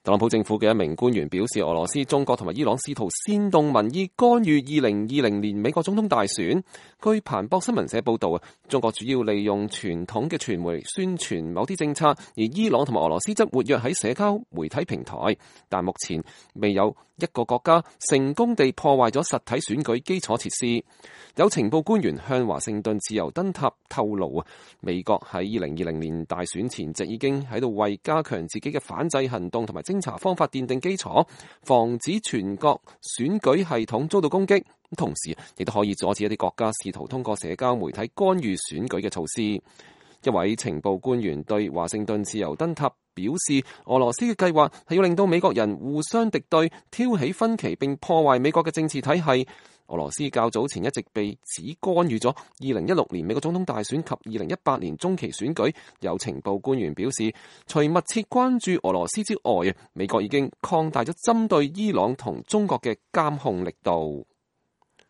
特朗普政府嘅一名官員表示，俄羅斯、中國同埋伊朗試圖煽動民意，干預2020年美國總統大選。據彭博新聞社報道，中國主要利用傳統嘅傳媒宣傳某啲政策，而伊朗同埋俄羅斯則活躍喺社交媒體平台。但目前未有一個國家成功地破壞咗實體選舉基礎設施。有情報官員向華盛頓自由燈塔透露，美國喺2020年大選前夕已經喺度為加強自己嘅反制行動同埋偵查方法奠定基礎，防止全國選舉系統遭到攻擊，同時亦都可以阻止一啲國家試圖通過社交媒體干預選舉嘅措施。一位情報官員對華盛頓自由燈塔表示，俄羅斯嘅計劃係要令到美國人互相敵對，挑起分歧並破壞美國嘅政治體系。俄羅斯較早前一直被指干預咗2016年美國總統大選及2018年中期選舉。有情報官員表示，除密切關注俄羅斯之外，美國已經擴大咗針對伊朗同中國嘅監控力度。